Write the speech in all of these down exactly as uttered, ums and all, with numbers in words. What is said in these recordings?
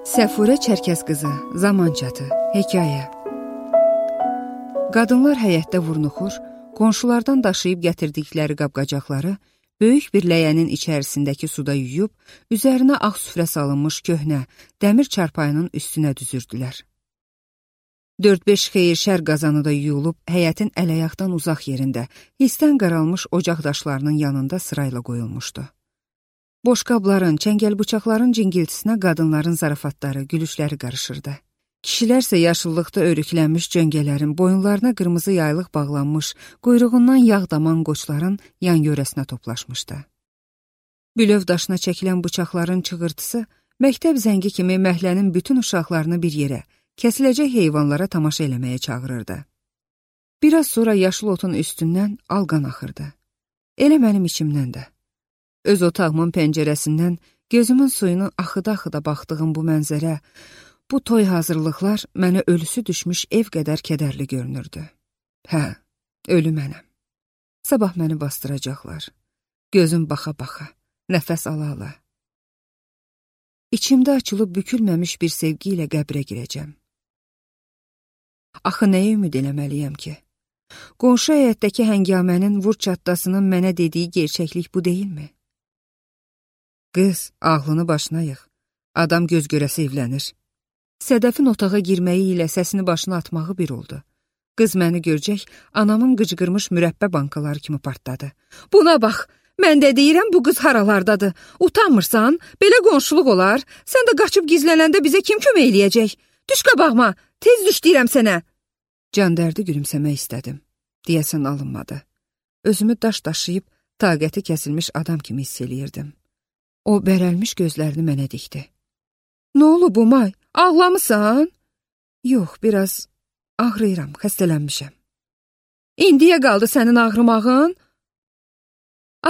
Səfurə Çərkəz qızı, Zamançatı, hekayə. Qadınlar həyətdə vurnuxur, qonşulardan daşıyıb gətirdikləri qab-qacaqları böyük bir ləyənin içərisindəki suda yuyub, üzərinə ağ süfrə salınmış köhnə, dəmir çarpayının üstünə düzürdülər. Dörd-beş xeyir şər qazanı da yuyulub, həyətin ələyaqdan uzaq yerində, hisdən qaralmış ocaq daşlarının yanında sırayla qoyulmuşdu. Boş qabların, çəngəl bıçaqların cingiltisinə qadınların zarafatları, gülüşləri qarışırdı. Kişilərsə yaşıllıqda örüklənmiş cöngələrin, boyunlarına qırmızı yaylıq bağlanmış, quyruğundan yağ daman qoçların yan yörəsinə toplaşmışdı. Bülöv daşına çəkilən bıçaqların çığırtısı, məktəb zəngi kimi məhlənin bütün uşaqlarını bir yerə, kəsiləcək heyvanlara tamaşa eləməyə çağırırdı. Biraz sonra yaşıl otun üstündən alqan axırdı. Elə mənim içimdən də. Öz otağımın pəncərəsindən gözümün suyunu axıda-axıda baxdığım bu mənzərə, bu toy hazırlıqlar mənə ölüsü düşmüş ev qədər kədərli görünürdü. Hə, ölü mənəm. Sabah məni bastıracaqlar. Gözüm baxa-baxa, nəfəs ala-ala. İçimdə açılıb bükülməmiş bir sevgi ilə qəbrə girəcəm. Axı nəyə ümid eləməliyəm ki? Qonşu həyətdəki həngamənin vur çatdasının mənə dediyi gerçəklik bu deyilmi? Qız, ağlını başına yığ. Adam göz görəsi evlənir. Sədəfin otağa girməyi ilə səsini başına atmağı bir oldu. Qız məni görəcək, anamın qıcqırmış mürəbbə bankaları kimi partladı. Buna bax, mən də deyirəm bu qız haralardadır. Utanmırsan, belə qonşuluq olar. Sən də qaçıb gizlənəndə bizə kim kömək eləyəcək? Düş qabağıma, tez düş deyirəm sənə. Can dərdi gülümsəmək istədim. Deyəsən alınmadı. Özümü daş daşıyıb, taqəti kəsilmiş adam kimi hiss eləyirdim. O bərəlmiş gözlərini mənə dikdi. Nə olub bu may? Ağlamısan? Yox, biraz ağrıyıram, xəstələnmişəm. İndiyə qaldı sənin ağrımağın?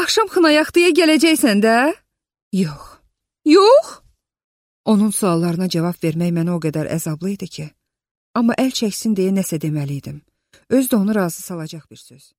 Axşam xınayaqdıya gələcəksən də? Yox. Yox? Onun suallarına cavab vermək mənə o qədər əzablı idi ki, amma əl çəksin deyə nəsə deməliydim. Öz də onu razı salacaq bir söz.